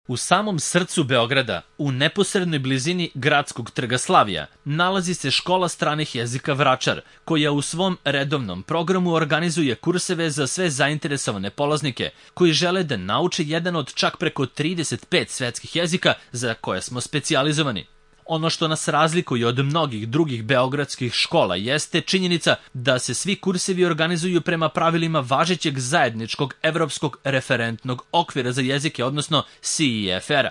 U samom srcu Beograda, u neposrednoj blizini gradskog trga Slavija, nalazi se škola stranih jezika Vračar, koja u svom redovnom programu organizuje kurseve za sve zainteresovane polaznike koji žele da nauče jedan od čak preko 35 svetskih jezika za koje smo specijalizovani. Ono što nas razlikuje od mnogih drugih beogradskih škola jeste činjenica da se svi kursevi organizuju prema pravilima važećeg zajedničkog evropskog referentnog okvira za jezike, odnosno CEFR-a,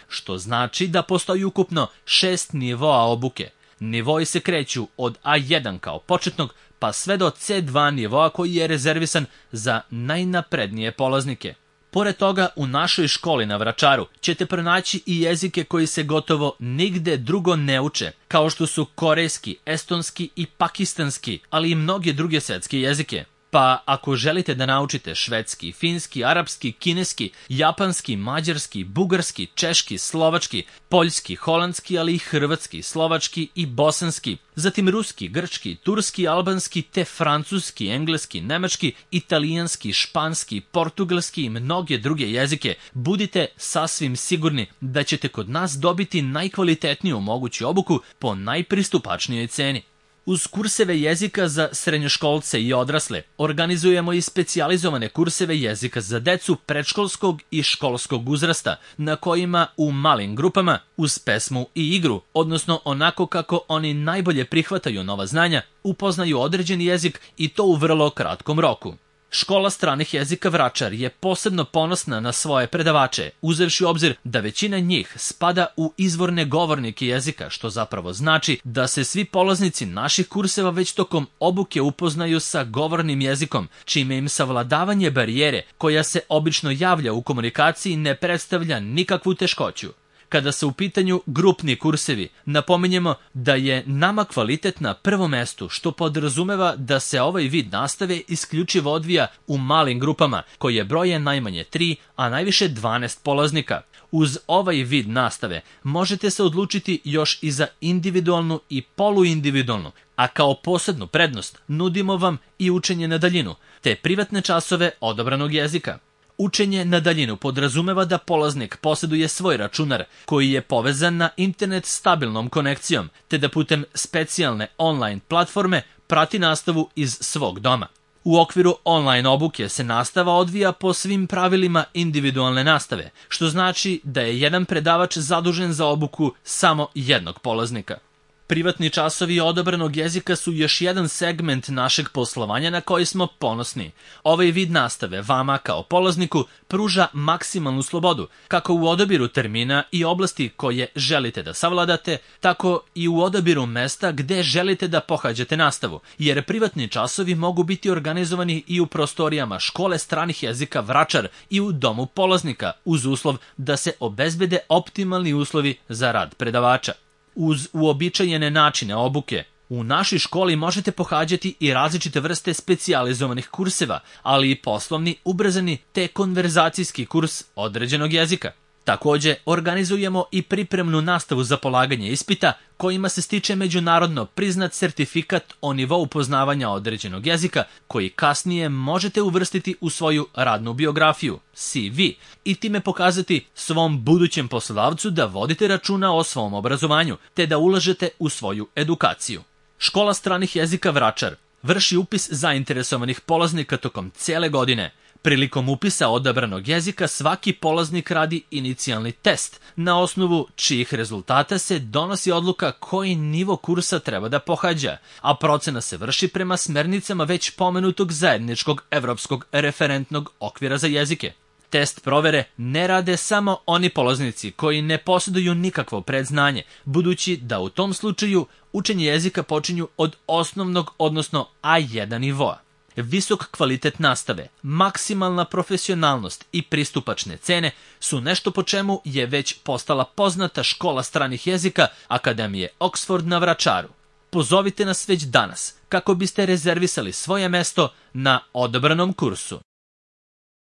što znači da postoji ukupno 6 nivoa obuke. Nivoi se kreću od A1 kao početnog pa sve do C2 nivoa koji je rezervisan za najnaprednije polaznike. Pored toga, u našoj školi na Vračaru ćete pronaći i jezike koji se gotovo nigde drugo ne uče, kao što su korejski, estonski i pakistanski, ali i mnoge druge svetske jezike. Pa ako želite da naučite švedski, finski, arapski, kineski, japanski, mađarski, bugarski, češki, slovački, poljski, holandski, ali i hrvatski, slovački i bosanski, zatim ruski, grčki, turski, albanski, te francuski, engleski, nemački, italijanski, španski, portugalski i mnoge druge jezike, budite sasvim sigurni da ćete kod nas dobiti najkvalitetniju moguću obuku po najpristupačnijoj ceni. Uz kurseve jezika za srednjoškolce i odrasle, organizujemo i specijalizovane kurseve jezika za decu predškolskog i školskog uzrasta, na kojima u malim grupama, uz pesmu i igru, odnosno onako kako oni najbolje prihvataju nova znanja, upoznaju određeni jezik i to u vrlo kratkom roku. Škola stranih jezika Vračar je posebno ponosna na svoje predavače, uzevši u obzir da većina njih spada u izvorne govornike jezika, što zapravo znači da se svi polaznici naših kurseva već tokom obuke upoznaju sa govornim jezikom, čime im savladavanje barijere koja se obično javlja u komunikaciji ne predstavlja nikakvu teškoću. Kada se u pitanju grupni kursevi, napominjemo da je nama kvalitet na prvom mestu, što podrazumeva da se ovaj vid nastave isključivo odvija u malim grupama, koje broje najmanje 3, a najviše 12 polaznika. Uz ovaj vid nastave možete se odlučiti još i za individualnu i poluindividualnu, a kao posebnu prednost nudimo vam i učenje na daljinu, te privatne časove odabranog jezika. Učenje na daljinu podrazumeva da polaznik posjeduje svoj računar koji je povezan na internet stabilnom konekcijom, te da putem specijalne online platforme prati nastavu iz svog doma. U okviru online obuke se nastava odvija po svim pravilima individualne nastave, što znači da je jedan predavač zadužen za obuku samo jednog polaznika. Privatni časovi odabranog jezika su još jedan segment našeg poslovanja na koji smo ponosni. Ovaj vid nastave vama kao polazniku pruža maksimalnu slobodu, kako u odabiru termina i oblasti koje želite da savladate, tako i u odabiru mesta gde želite da pohađate nastavu, jer privatni časovi mogu biti organizovani i u prostorijama škole stranih jezika Vračar i u domu polaznika, uz uslov da se obezbede optimalni uslovi za rad predavača. Uz uobičajene načine obuke, u našoj školi možete pohađati i različite vrste specijalizovanih kurseva, ali i poslovni, ubrzani te konverzacijski kurs određenog jezika. Takođe, organizujemo i pripremnu nastavu za polaganje ispita, kojima se stiče međunarodno priznat sertifikat o nivou poznavanja određenog jezika, koji kasnije možete uvrstiti u svoju radnu biografiju, CV, i time pokazati svom budućem poslodavcu da vodite računa o svom obrazovanju, te da ulažete u svoju edukaciju. Škola stranih jezika Vračar vrši upis zainteresovanih polaznika tokom cele godine. Prilikom upisa odabranog jezika svaki polaznik radi inicijalni test, na osnovu čijih rezultata se donosi odluka koji nivo kursa treba da pohađa, a procena se vrši prema smernicama već pomenutog zajedničkog evropskog referentnog okvira za jezike. Test provere ne rade samo oni polaznici koji ne posjeduju nikakvo predznanje, budući da u tom slučaju učenje jezika počinju od osnovnog, odnosno A1 nivoa. Visok kvalitet nastave, maksimalna profesionalnost i pristupačne cene su nešto po čemu je već postala poznata škola stranih jezika Akademije Oxford na Vračaru. Pozovite nas već danas kako biste rezervisali svoje mesto na odabranom kursu.